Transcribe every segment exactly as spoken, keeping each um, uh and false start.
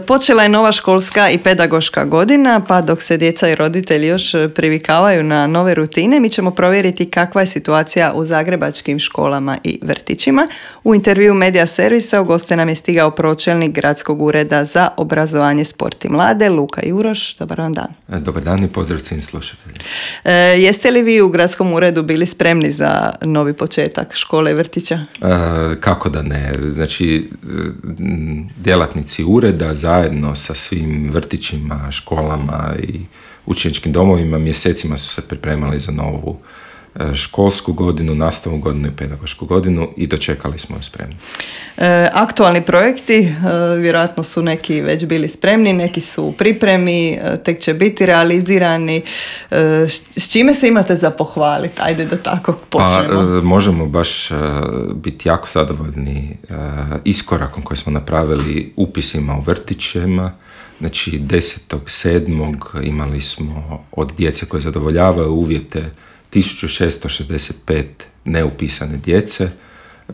Počela je nova školska i pedagoška godina, pa dok se djeca i roditelji još privikavaju na nove rutine, mi ćemo provjeriti kakva je situacija u zagrebačkim školama i vrtićima. U intervju Medija servisa u goste nam je stigao pročelnik Gradskog ureda za obrazovanje, sport i mlade, Luka Juroš. Dobar vam dan. Dobar dan i pozdrav svim slušateljima. E, jeste li vi u Gradskom uredu bili spremni za novi početak škole i vrtića? E, kako da ne. Znači, djelatnici ureda zajedno sa svim vrtićima, školama i učeničkim domovima mjesecima su se pripremali za novu školsku godinu, nastavnu godinu i pedagošku godinu i dočekali smo ju spremni. E, aktualni projekti, e, vjerojatno su neki već bili spremni, neki su u pripremi, e, tek će biti realizirani. E, s čime se imate za pohvaliti? Ajde da tako počnemo. Pa, e, možemo baš e, biti jako zadovoljni e, iskorakom koji smo napravili upisima u vrtićima. Znači desetog sedmog imali smo od djece koje zadovoljavaju uvjete tisuću šesto šezdeset pet neupisane djece.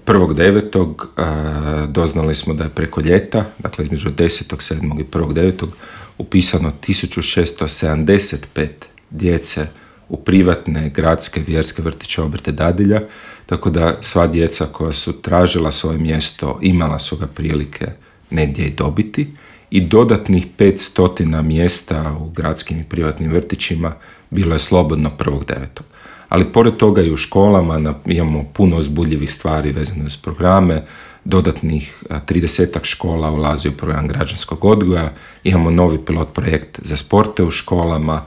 prvog devetog Uh, doznali smo da je preko ljeta, dakle između desetog sedmog i prvog devetog upisano tisuću šesto sedamdeset pet djece u privatne, gradske, vjerske vrtiće, obrte, dadilja, tako da sva djeca koja su tražila svoje mjesto imala su ga prilike negdje i dobiti i dodatnih petsto mjesta u gradskim i privatnim vrtićima bilo je slobodno prvog devetog Ali pored toga i u školama imamo puno uzbudljivih stvari vezane uz programe, dodatnih tridesetak škola ulazi u program građanskog odgoja, imamo novi pilot projekt za sporte u školama,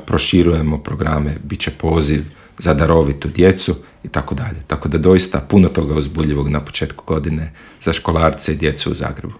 proširujemo programe, bit će poziv za darovitu djecu i tako dalje. Tako da doista puno toga uzbudljivog na početku godine za školarce i djecu u Zagrebu.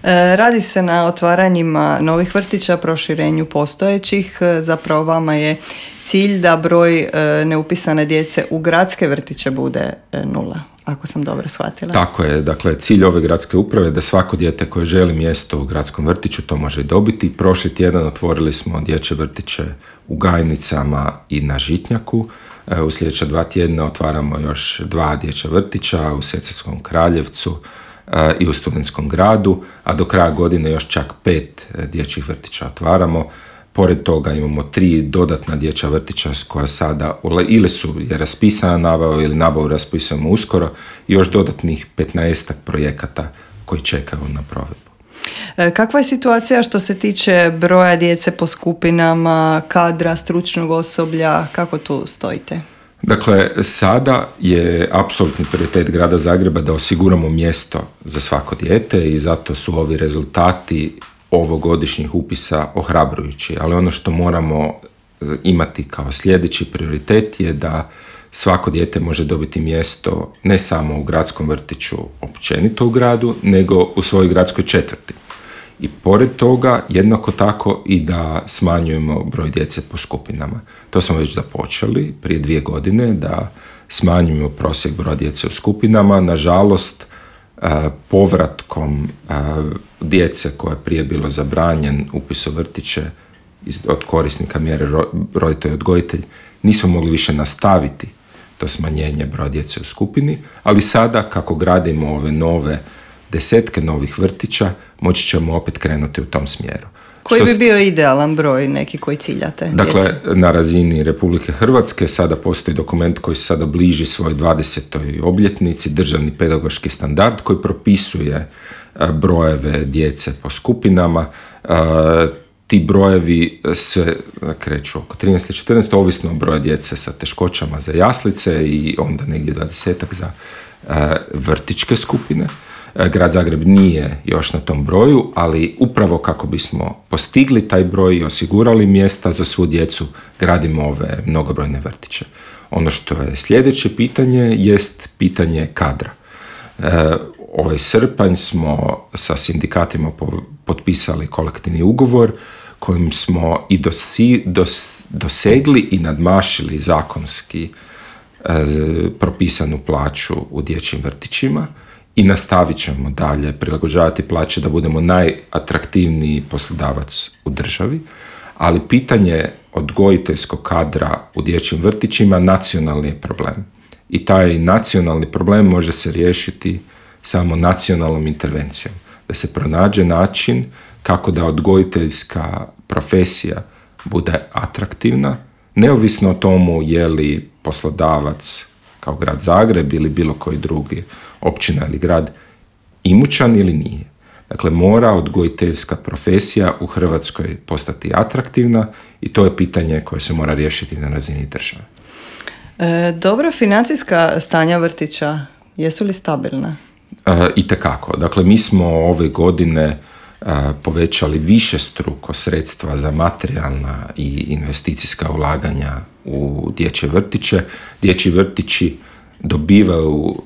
E, radi se na otvaranjima novih vrtića, proširenju postojećih. Zapravo vama je cilj da broj e, neupisane djece u gradske vrtiće bude e, nula, ako sam dobro shvatila. Tako je. Dakle, cilj ove gradske uprave je da svako dijete koje želi mjesto u gradskom vrtiću to može i dobiti. Prošli tjedan otvorili smo dječje vrtiće u Gajnicama i na Žitnjaku. U sljedeća dva tjedna otvaramo još dva dječja vrtića u Sesvetskom Kraljevcu i u Studentskom gradu, a do kraja godine još čak pet dječjih vrtića otvaramo. Pored toga imamo tri dodatna dječja vrtića koja sada ili su je raspisana nabava ili nabavu raspisujemo uskoro i još dodatnih petnaestak projekata koji čekaju na provedbu. Kakva je situacija što se tiče broja djece po skupinama, kadra, stručnog osoblja, kako tu stojite? Dakle, sada je apsolutni prioritet grada Zagreba da osiguramo mjesto za svako dijete i zato su ovi rezultati ovogodišnjih upisa ohrabrujući. Ali ono što moramo imati kao sljedeći prioritet je da svako dijete može dobiti mjesto ne samo u gradskom vrtiću općenito u gradu, nego u svojoj gradskoj četvrti. I pored toga, jednako tako i da smanjujemo broj djece po skupinama. To smo već započeli prije dvije godine, da smanjujemo prosjek broja djece u skupinama. Nažalost, povratkom djece koja je prije bilo zabranjen upis u vrtiće od korisnika mjere roditelj odgojitelj, nismo mogli više nastaviti to smanjenje broja djece u skupini, ali sada kako gradimo ove nove desetke novih vrtića, moći ćemo opet krenuti u tom smjeru. Koji bi bio idealan broj neki koji ciljate? Dakle, djece? Na razini Republike Hrvatske sada postoji dokument koji sada bliži svojoj dvadesetoj obljetnici, državni pedagoški standard koji propisuje brojeve djece po skupinama. Ti brojevi se kreću oko trinaest četrnaest, ovisno o broju djece sa teškoćama za jaslice i onda negdje dvadesetak za vrtićke skupine. Grad Zagreb nije još na tom broju, ali upravo kako bismo postigli taj broj i osigurali mjesta za svu djecu, gradimo ove mnogobrojne vrtiće. Ono što je sljedeće pitanje jest pitanje kadra. E, ovaj srpanj smo sa sindikatima potpisali kolektivni ugovor kojim smo i dosi, dos, dosegli i nadmašili zakonski e, propisanu plaću u dječjim vrtićima. I nastavit ćemo dalje prilagođavati plaće da budemo najatraktivniji poslodavac u državi, ali pitanje odgojiteljskog kadra u dječjim vrtićima nacionalni je problem. I taj nacionalni problem može se riješiti samo nacionalnom intervencijom. da se pronađe način kako da odgojiteljska profesija bude atraktivna, neovisno o tomu je li poslodavac kao grad Zagreb ili bilo koji drugi općina ili grad imućan ili nije. Dakle, mora odgojiteljska profesija u Hrvatskoj postati atraktivna i to je pitanje koje se mora riješiti na razini države. E, dobro, financijska stanja vrtića, jesu li stabilna? E, itekako. Dakle, mi smo ove godine e, povećali višestruko sredstva za materijalna i investicijska ulaganja u dječje vrtiće. Dječji vrtići dobivaju,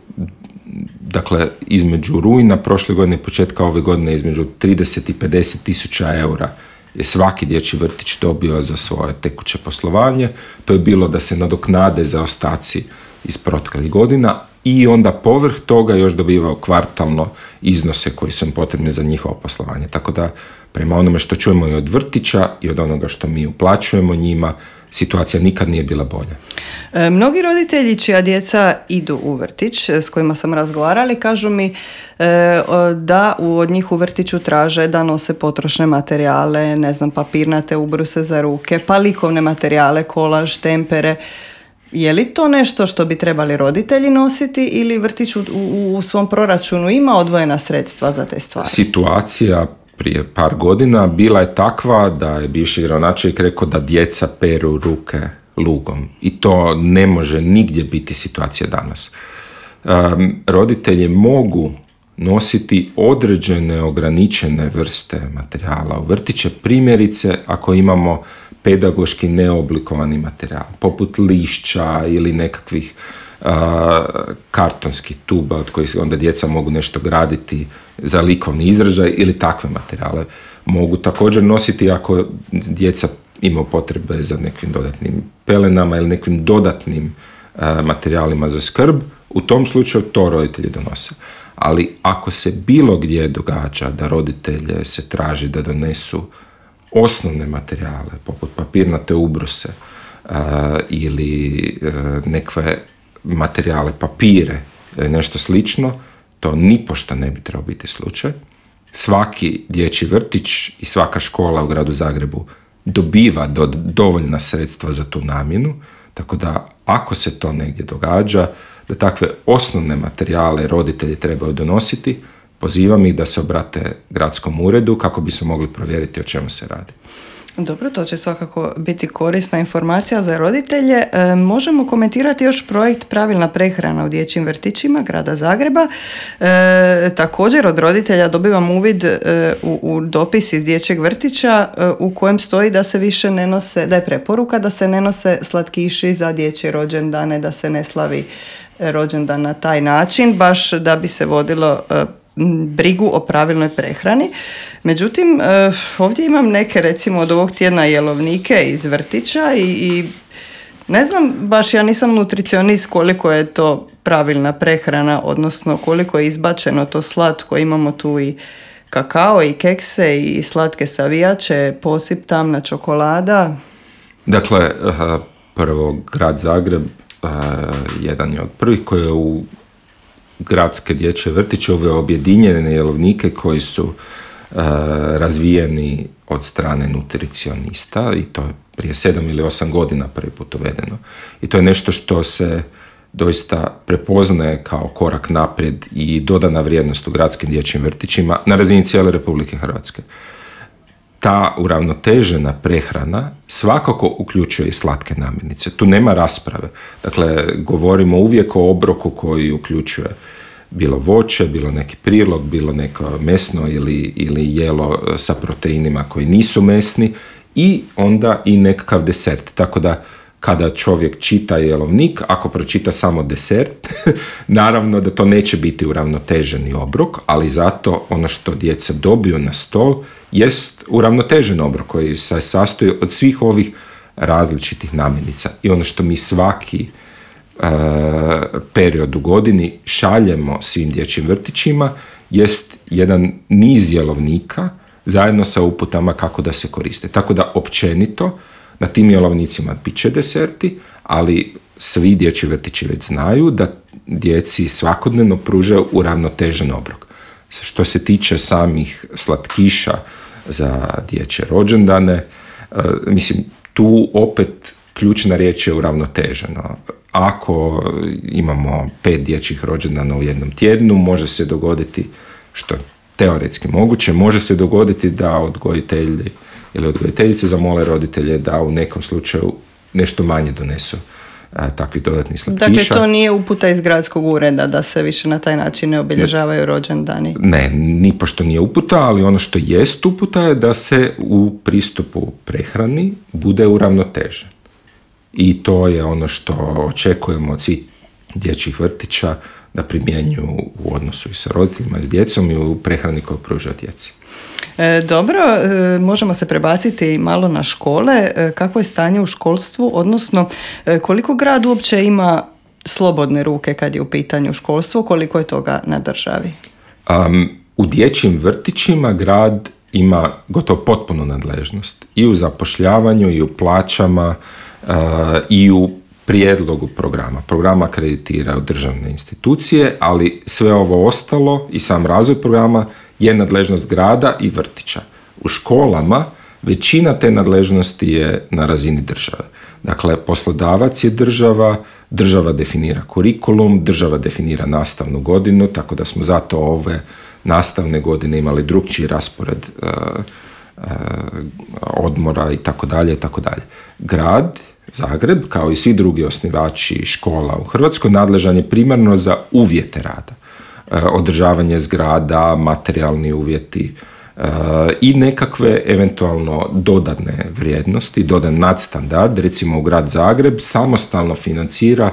dakle, između rujna prošle godine i početka ove godine između trideset i pedeset tisuća eura je svaki dječji vrtić dobio za svoje tekuće poslovanje. To je bilo da se nadoknade zaostaci iz proteklih godina i onda povrh toga još dobivao kvartalno iznose koji su im potrebni za njihovo poslovanje. Tako da, prema onome što čujemo i od vrtića i od onoga što mi uplaćujemo njima, situacija nikad nije bila bolja. E, mnogi roditelji čija djeca idu u vrtić, s kojima sam razgovarali, kažu mi e, da od njih u vrtiću traže da nose potrošne materijale, ne znam, papirnate ubruse za ruke, pa likovne materijale, kolaž, tempere. Je li to nešto što bi trebali roditelji nositi ili vrtić u, u, u svom proračunu ima odvojena sredstva za te stvari? Situacija prije par godina bila je takva da je bivši gradonačelnik rekao da djeca peru ruke lugom. I to ne može nigdje biti situacija danas. Um, roditelji mogu nositi određene ograničene vrste materijala u vrtiće, primjerice ako imamo pedagoški neoblikovani materijal, poput lišća ili nekakvih uh, kartonskih tuba od kojih onda djeca mogu nešto graditi za likovni izražaj ili takve materijale. Mogu također nositi ako djeca imaju potrebe za nekim dodatnim pelenama ili nekim dodatnim uh, materijalima za skrb, u tom slučaju to roditelji donose. Ali ako se bilo gdje događa da roditelje se traži da donesu osnovne materijale, poput papirnate ubruse uh, ili uh, nekve materijale, papire ili nešto slično, to nipošto ne bi trebao biti slučaj. Svaki dječji vrtić i svaka škola u gradu Zagrebu dobiva do, dovoljna sredstva za tu namjenu, tako da ako se to negdje događa, da takve osnovne materijale roditelji trebaju donositi, pozivam ih da se obrate gradskom uredu kako bi se mogli provjeriti o čemu se radi. Dobro, to će svakako biti korisna informacija za roditelje. E, možemo komentirati još projekt Pravilna prehrana u dječjim vrtićima grada Zagreba. E, također od roditelja dobivam uvid e, u, u dopis iz dječjeg vrtića e, u kojem stoji da se više ne nose, da je preporuka da se ne nose slatkiši za dječje rođendane, da se ne slavi rođendan na taj način, baš da bi se vodilo e, brigu o pravilnoj prehrani. Međutim, ovdje imam neke, recimo od ovog tjedna jelovnike iz vrtića i, i ne znam, baš ja nisam nutricionist koliko je to pravilna prehrana, odnosno koliko je izbačeno to slatko. Imamo tu i kakao i kekse i slatke savijače, posip tamna čokolada. Dakle, prvo grad Zagreb jedan je od prvih koji je u gradske dječje vrtiće uveo objedinjene jelovnike koji su uh, razvijeni od strane nutricionista i to je prije sedam ili osam godina prvi put uvedeno. I to je nešto što se doista prepoznaje kao korak naprijed i dodana vrijednost u gradskim dječjim vrtićima na razini cijele Republike Hrvatske. Ta uravnotežena prehrana svakako uključuje i slatke namirnice. Tu nema rasprave. Dakle, govorimo uvijek o obroku koji uključuje bilo voće, bilo neki prilog, bilo neko mesno ili, ili jelo sa proteinima koji nisu mesni i onda i nekakav desert. Tako da kada čovjek čita jelovnik, ako pročita samo desert, naravno da to neće biti uravnoteženi obrok, ali zato ono što djeca dobiju na stol jest uravnotežen obrok koji se sastoji od svih ovih različitih namirnica. I ono što mi svaki uh, period u godini šaljemo svim dječjim vrtićima jest jedan niz jelovnika zajedno sa uputama kako da se koriste. Tako da općenito na tim jelovnicima bit će deserti, ali svi dječji vrtići već znaju da djeci svakodnevno pružaju uravnotežen obrok. Što se tiče samih slatkiša za dječje rođendane, mislim, tu opet ključna riječ je uravnoteženo. Ako imamo pet dječjih rođendana u jednom tjednu, može se dogoditi, što je teoretski moguće, može se dogoditi da odgojitelji ili odgojiteljice zamole roditelje da u nekom slučaju nešto manje donesu a, takvih dodatnih slatkiša. Dakle, to nije uputa iz gradskog ureda da se više na taj način ne obilježavaju rođendani? Ne, nipošto nije uputa, ali ono što jest uputa je da se u pristupu prehrani bude uravnotežen. I to je ono što očekujemo od svih dječjih vrtića da primjenjuju u odnosu i sa roditeljima i s djecom i u prehrani koju pružaju djeci. E, dobro, e, možemo se prebaciti malo na škole. E, kakvo je stanje u školstvu, odnosno e, koliko grad uopće ima slobodne ruke kad je u pitanju školstvo, koliko je toga na državi? Um, u dječjim vrtićima grad ima gotovo potpunu nadležnost i u zapošljavanju i u plaćama uh, i u prijedlogu programa. Programa akreditiraju državne institucije, ali sve ovo ostalo i sam razvoj programa je nadležnost grada i vrtića. U školama većina te nadležnosti je na razini države. Dakle, poslodavac je država, država definira kurikulum, država definira nastavnu godinu, tako da smo zato ove nastavne godine imali drukčiji raspored uh, uh, odmora i tako dalje i tako dalje. Grad Zagreb, kao i svi drugi osnivači škola u Hrvatskoj, nadležan je primarno za uvjete rada. E, održavanje zgrada, materijalni uvjeti e, i nekakve eventualno dodatne vrijednosti, dodan nadstandard. Recimo u grad Zagreb samostalno financira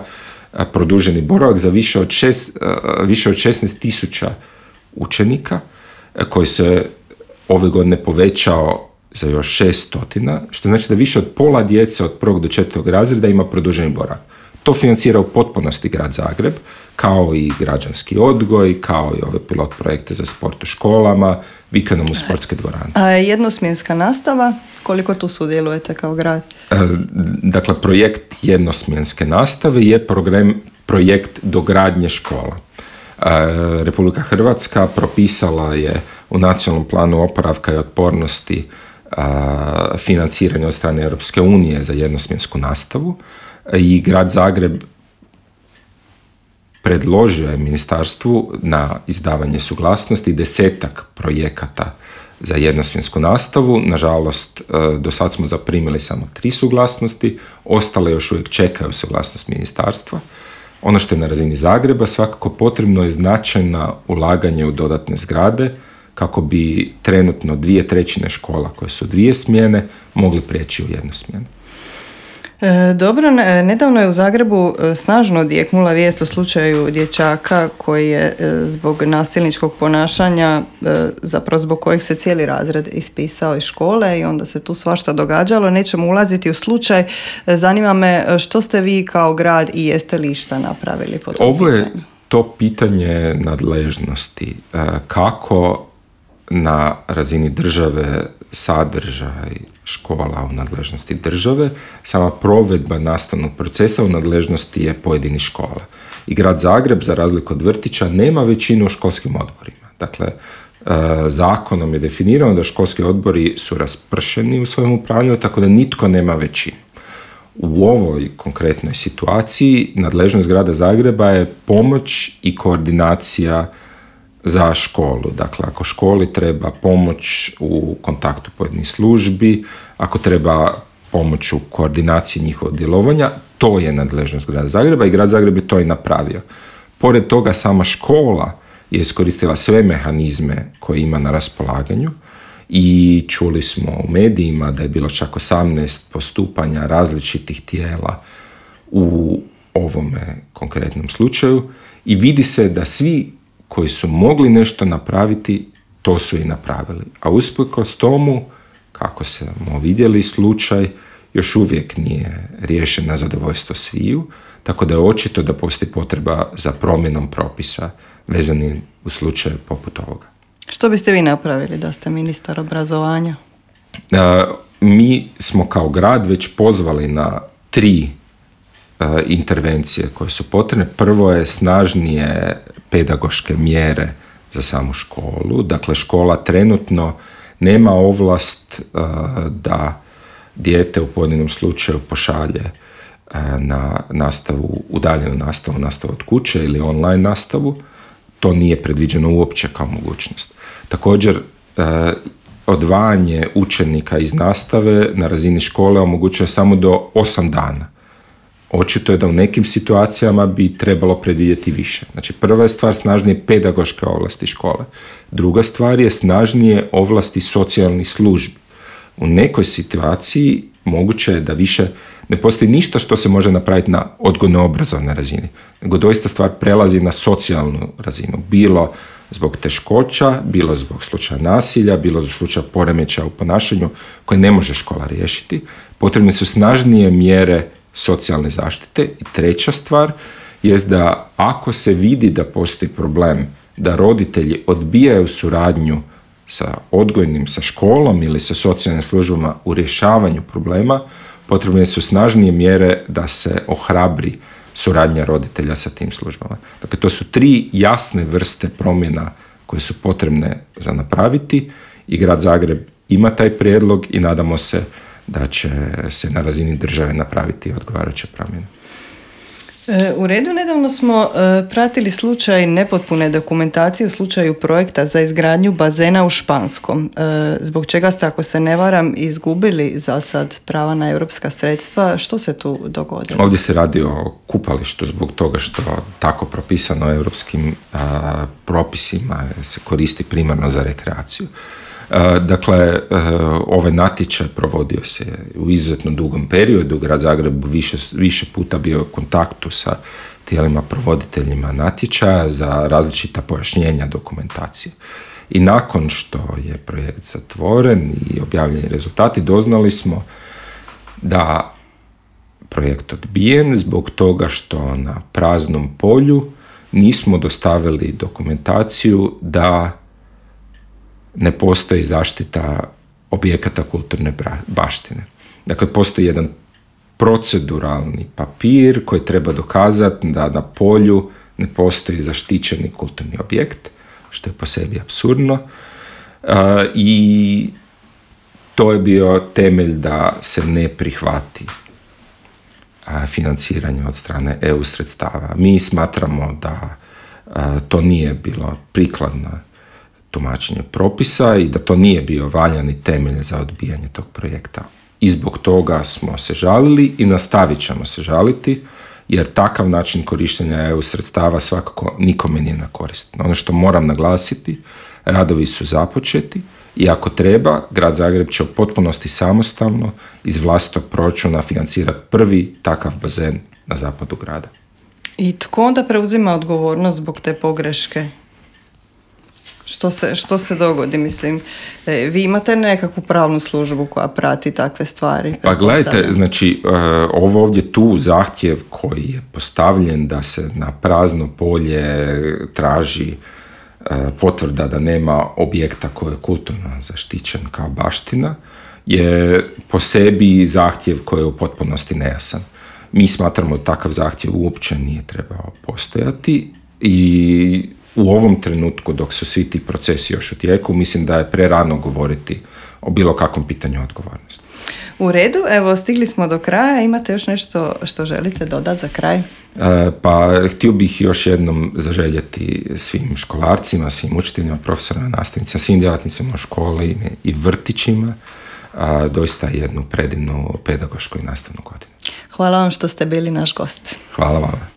e, produženi boravak za više od, šest, e, više od šesnaest tisuća učenika e, koji se ove godine povećao za još šest stotina, što znači da više od pola djece od prvog do četvrtog razreda ima produženi boravak. To financira u potpunosti grad Zagreb, kao i građanski odgoj, kao i ove pilot projekte za sport u školama, vikendom u sportske dvorane. A jednosmjenska nastava, koliko tu sudjelujete kao grad? E, dakle, projekt jednosmjenske nastave je program, projekt dogradnje škola. E, Republika Hrvatska propisala je u nacionalnom planu oporavka i otpornosti a, financiranje od strane Europske unije za jednosmjensku nastavu i grad Zagreb predložio je ministarstvu na izdavanje suglasnosti desetak projekata za jednosmjensku nastavu. Nažalost, do sad smo zaprimili samo tri suglasnosti, ostale još uvijek čekaju suglasnost ministarstva. Ono što je na razini Zagreba, svakako potrebno je značajna ulaganje u dodatne zgrade, kako bi trenutno dvije trećine škola koje su dvije smjene mogli prijeći u jednu smjenu. E, dobro, nedavno je u Zagrebu snažno odjeknula vijest o slučaju dječaka koji je zbog nasilničkog ponašanja, zapravo zbog kojeg se cijeli razred ispisao iz škole i onda se tu svašta događalo. Nećemo ulaziti u slučaj. Zanima me što ste vi kao grad i jeste li šta napravili po tom Ovo je pitanju? to pitanje nadležnosti. Kako na razini države sadržaj škola u nadležnosti države, sama provedba nastavnog procesa u nadležnosti je pojedinih škola. I grad Zagreb, za razliku od vrtića, nema većinu u školskim odborima. Dakle, zakonom je definirano da školski odbori su raspršeni u svojem upravljanju, tako da nitko nema većinu. U ovoj konkretnoj situaciji nadležnost grada Zagreba je pomoć i koordinacija za školu. Dakle, ako školi treba pomoć u kontaktu pojedinih službi, ako treba pomoć u koordinaciji njihovog djelovanja, to je nadležnost grada Zagreba i grad Zagreb je to i napravio. Pored toga, sama škola je iskoristila sve mehanizme koje ima na raspolaganju i čuli smo u medijima da je bilo čak osamnaest postupanja različitih tijela u ovome konkretnom slučaju i vidi se da svi koji su mogli nešto napraviti, to su i napravili. A usprkos tomu, kako smo vidjeli, slučaj još uvijek nije riješen na zadovoljstvo sviju, tako da je očito da postoji potreba za promjenom propisa vezanim u slučaju poput ovoga. Što biste vi napravili da ste ministar obrazovanja? E, mi smo kao grad već pozvali na tri e, intervencije koje su potrebne. Prvo je snažnije pedagoške mjere za samu školu. Dakle, škola trenutno nema ovlast uh, da dijete u pojedinom slučaju pošalje uh, na nastavu, udaljenu nastavu, nastavu od kuće ili online nastavu. To nije predviđeno uopće kao mogućnost. Također, uh, odvajanje učenika iz nastave na razini škole omogućuje samo do osam dana. Očito je da u nekim situacijama bi trebalo predvidjeti više. Znači, prva je stvar snažnije pedagoške ovlasti škole. Druga stvar je snažnije ovlasti socijalnih službi. U nekoj situaciji moguće je da više ne postoji ništa što se može napraviti na odgojno-obrazovnoj razini, nego doista stvar prelazi na socijalnu razinu. Bilo zbog teškoća, bilo zbog slučaja nasilja, bilo zbog slučaja poremećaja u ponašanju koje ne može škola riješiti. Potrebne su snažnije mjere socijalne zaštite. I treća stvar je da ako se vidi da postoji problem, da roditelji odbijaju suradnju sa odgojnim, sa školom ili sa socijalnim službama u rješavanju problema, potrebne su snažnije mjere da se ohrabri suradnja roditelja sa tim službama. Dakle, to su tri jasne vrste promjena koje su potrebne za napraviti i Grad Zagreb ima taj prijedlog i nadamo se da će se na razini države napraviti odgovarajuće promjene. U redu, nedavno smo pratili slučaj nepotpune dokumentacije u slučaju projekta za izgradnju bazena u Španskom, zbog čega ste, ako se ne varam, izgubili za sad prava na europska sredstva. Što se tu dogodilo? Ovdje se radi o kupalištu zbog toga što tako propisano europskim a, propisima se koristi primarno za rekreaciju. Dakle, ovaj natječaj provodio se u izuzetno dugom periodu. Grad Zagreb više, više puta bio u kontaktu sa tijelima provoditeljima natječaja za različita pojašnjenja dokumentacije. I nakon što je projekt zatvoren i objavljeni rezultati, doznali smo da projekt odbijen zbog toga što na praznom polju nismo dostavili dokumentaciju da ne postoji zaštita objekata kulturne baštine. Dakle, postoji jedan proceduralni papir koji treba dokazati da na polju ne postoji zaštićeni kulturni objekt, što je po sebi apsurdno. Uh, I to je bio temelj da se ne prihvati uh, financiranje od strane E U sredstava. Mi smatramo da uh, to nije bilo prikladno tumačenje propisa i da to nije bio valjani temelj za odbijanje tog projekta. I zbog toga smo se žalili i nastavit ćemo se žaliti, jer takav način korištenja E U sredstava svakako nikome nije na korist. Ono što moram naglasiti, radovi su započeti i ako treba, Grad Zagreb će u potpunosti samostalno iz vlastitog proračuna financirati prvi takav bazen na zapadu grada. I tko onda preuzima odgovornost zbog te pogreške? Što se, što se dogodi, mislim, e, vi imate nekakvu pravnu službu koja prati takve stvari? Pa gledajte, znači, ovo ovdje tu zahtjev koji je postavljen da se na prazno polje traži potvrda da nema objekta koji je kulturno zaštićen kao baština, je po sebi zahtjev koji je u potpunosti nejasan. Mi smatramo da takav zahtjev uopće nije trebao postojati i u ovom trenutku, dok su svi ti procesi još u tijeku, mislim da je prerano govoriti o bilo kakvom pitanju odgovornosti. U redu, evo, stigli smo do kraja. Imate još nešto što želite dodati za kraj? E, pa, htio bih još jednom zaželjeti svim školarcima, svim učiteljima, profesorima, nastavnicima, svim djelatnicima u školi i vrtićima, a, doista jednu predivnu pedagošku i nastavnu godinu. Hvala vam što ste bili naš gost. Hvala vam.